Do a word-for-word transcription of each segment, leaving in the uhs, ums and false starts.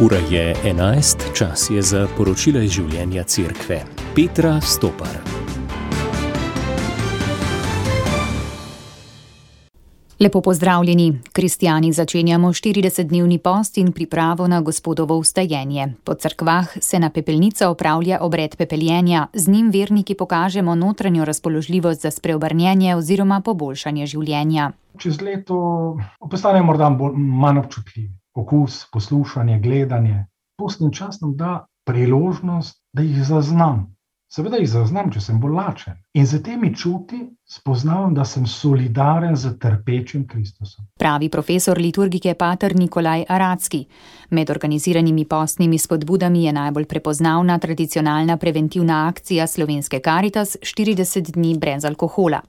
Ura je enajst, čas je za poročila iz življenja Cerkve. Petra Stopar. Lepo pozdravljeni. Kristjani začenjamo štiridesetdnevni post in pripravo na Gospodovo vstajenje. Po cerkvah se na pepelnico opravlja obred pepeljenja. Z njim verniki pokažemo notranjo razpoložljivost za spreobrnjenje oziroma poboljšanje življenja. Čez leto postanemo morda bolj, manj občutljivi. Okus, poslušanje, gledanje. Postni čas nam da priložnost, da jih zaznam. Seveda jih zaznam, če sem bolj lačen. In za temi čuti spoznavam, da sem solidaren z trpečim Kristusom. Pravi profesor liturgike pater Nikolaj Aracki. Med organiziranimi postnimi spodbudami je najbolj prepoznavna tradicionalna preventivna akcija Slovenske Karitas štirideset dni brez alkohola.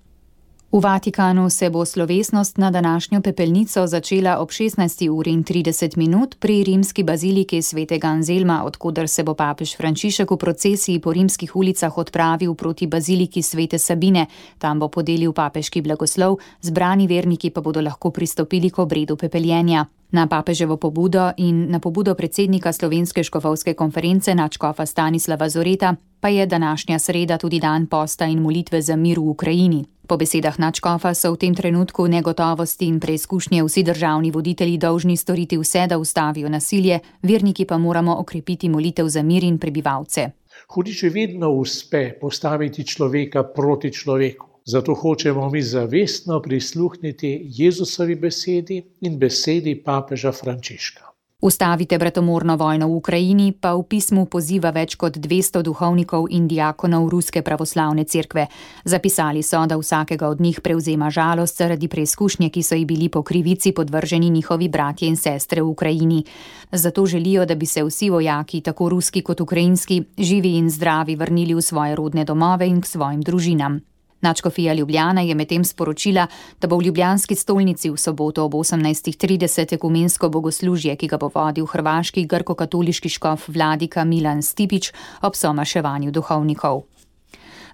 V Vatikanu se bo slovesnost na današnjo pepelnico začela ob šestnajsti uri in trideset minut pri rimski baziliki svetega Anzelma, od koder se bo papež Frančišek v procesiji po rimskih ulicah odpravil proti baziliki svete Sabine. Tam bo podelil papeški blagoslov, zbrani verniki pa bodo lahko pristopili k obredu pepeljenja. Na papeževo pobudo in na pobudo predsednika Slovenske škofovske konference nadškofa Stanislava Zoreta pa je današnja sreda tudi dan posta in molitve za mir v Ukrajini. Po besedah nadškofa so v tem trenutku negotovosti in preizkušnje vsi državni voditelji dolžni storiti vse, da ustavijo nasilje, verniki pa moramo okrepiti molitev za mir in prebivalce. Hudiču vedno uspe postaviti človeka proti človeku. Zato hočemo mi zavestno prisluhniti Jezusovi besedi in besedi papeža Frančiška. Ustavite bratomorno vojno v Ukrajini pa v pismu poziva več kot dvesto duhovnikov in diakonov Ruske pravoslavne cerkve. Zapisali so, da vsakega od njih prevzema žalost zaradi preizkušnje, ki so ji bili po krivici podvrženi njihovi bratje in sestre v Ukrajini. Zato želijo, da bi se vsi vojaki, tako ruski kot ukrajinski, živi in zdravi vrnili v svoje rodne domove in k svojim družinam. Nadškofija Ljubljana je medtem sporočila, da bo v ljubljanski stolnici v soboto ob osemnajstih trideset ekumensko bogoslužje, ki ga bo vodil hrvaški grko-katoliški škof vladika Milan Stipić ob somaševanju duhovnikov.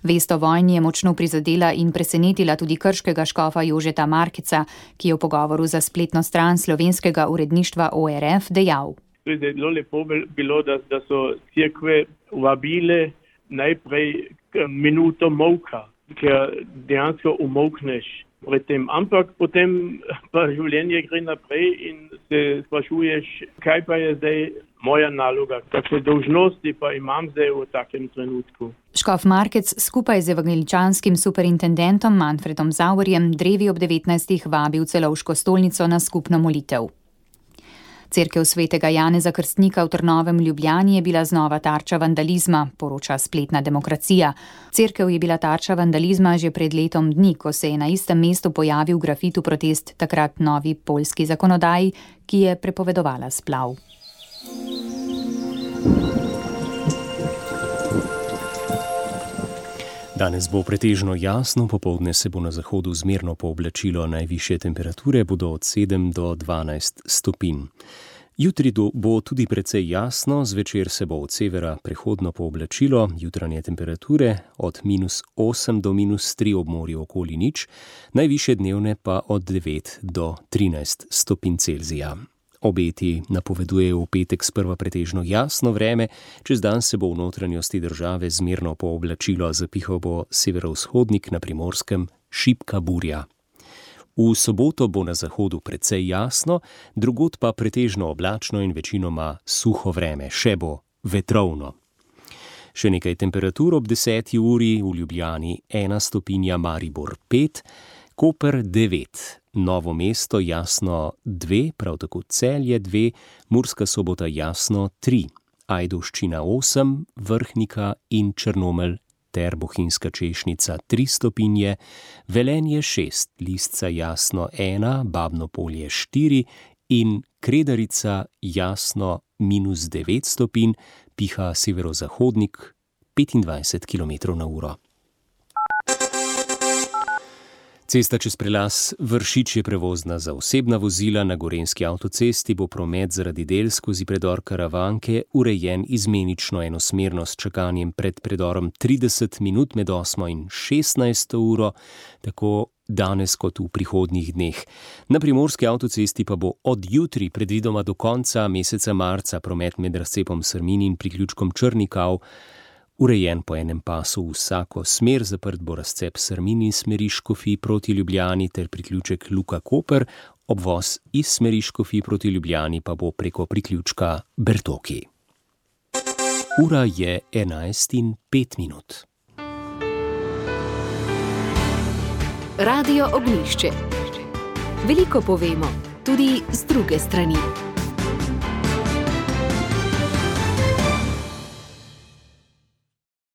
Vest o vojni je močno prizadela in presenetila tudi krškega škofa Jožeta Markeca, ki je v pogovoru za spletno stran slovenskega uredništva O R F dejal. Zelo lepo bilo, da, da so cerkve vabile najprej minuto molka, ker dejansko umolkneš pred tem, ampak potem pa življenje gre naprej in se sprašuješ, kaj pa je zdaj moja naloga, kakšne dolžnosti pa imam zdaj v takem trenutku. Škof Markec skupaj z evangeličanskim superintendentom Manfredom Zauerjem drevi ob devetnajstih vabi v Celovško stolnico na skupno molitev. Cerkev svetega Janeza Krstnika v Trnovem Ljubljani je bila znova tarča vandalizma, poroča spletna Demokracija. Cerkev je bila tarča vandalizma že pred letom dni, ko se je na istem mestu pojavil grafit v protest takrat novi poljski zakonodaji, ki je prepovedovala splav. Danes bo pretežno jasno, popoldne se bo na zahodu zmerno pooblačilo, najvišje temperature bodo od sedem do dvanajst stopinj. Jutri bo tudi precej jasno, zvečer se bo od severa prehodno pooblačilo, jutranje temperature od minus osem do minus tri ob morju okoli nič, najvišje dnevne pa od devet do trinajst stopinj Celzija. Obeti napovedujejo v petek sprva pretežno jasno vreme, čez dan se bo v notranjosti države zmerno pooblačilo, zapihal bo severovzhodnik, na Primorskem šibka burja. V soboto bo na zahodu precej jasno, drugod pa pretežno oblačno in večinoma suho vreme, še bo vetrovno. Še nekaj temperatur ob deseti uri, v Ljubljani ena stopinja, Maribor pet, Koper devet, Novo mesto jasno dve, prav tako Celje dve, Murska Sobota jasno tri, Ajdovščina osem, Vrhnika in Črnomelj ter Bohinjska Češnica tri stopinje, Velenje šest, Lisca jasno ena, Babno Polje štiri in Kredarica jasno minus devet stopinj, piha severozahodnik petindvajset kilometrov na uro. Cesta čez prelaz Vršič je prevozna za osebna vozila, na gorenjski avtocesti bo promet zaradi del skozi predor Karavanke urejen izmenično enosmerno s čakanjem pred predorom trideset minut med osmo in šestnajsto uro, tako danes kot v prihodnjih dneh. Na primorski avtocesti pa bo od jutri predvidoma do konca meseca marca promet med razcepom Srmin in priključkom Črnikav urejen po enem pasu v vsako smer, zaprt bo razcep Srmin in smeri Škofij proti Ljubljani ter priključek Luka Koper, obvoz iz smeri Škofij proti Ljubljani pa bo preko priključka Bertoki. Ura je enajst in pet minut. Radio Ognjišče. Veliko povemo, tudi z druge strani.